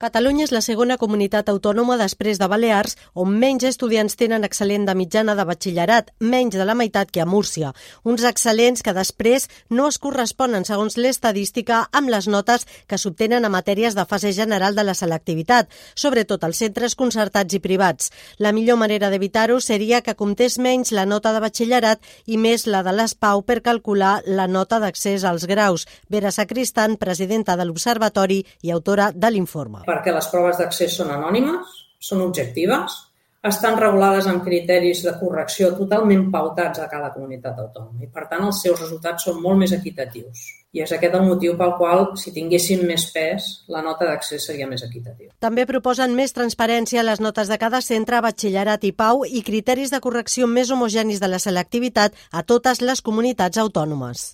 Catalunya és la segona comunitat autònoma després de Balears on menys estudiants tenen excel·lent de mitjana de batxillerat, menys de la meitat que a Múrcia. Uns excel·lents que després no es corresponen, segons l'estadística, amb les notes que s'obtenen a matèries de fase general de la selectivitat, sobretot als centres concertats i privats. La millor manera d'evitar-ho seria que comptés menys la nota de batxillerat i més la de l'ESPAU per calcular la nota d'accés als graus. Vera Sacristan, presidenta de l'Observatori i autora de l'informe. Perquè les proves d'accés són anònimes, són objectives, estan regulades amb criteris de correcció totalment pautats a cada comunitat autònoma i, per tant, els seus resultats són molt més equitatius. I és aquest el motiu pel qual, si tinguessin més pes, la nota d'accés seria més equitativa. També proposen més transparència a les notes de cada centre, batxillerat i PAU i criteris de correcció més homogenis de la selectivitat a totes les comunitats autònomes.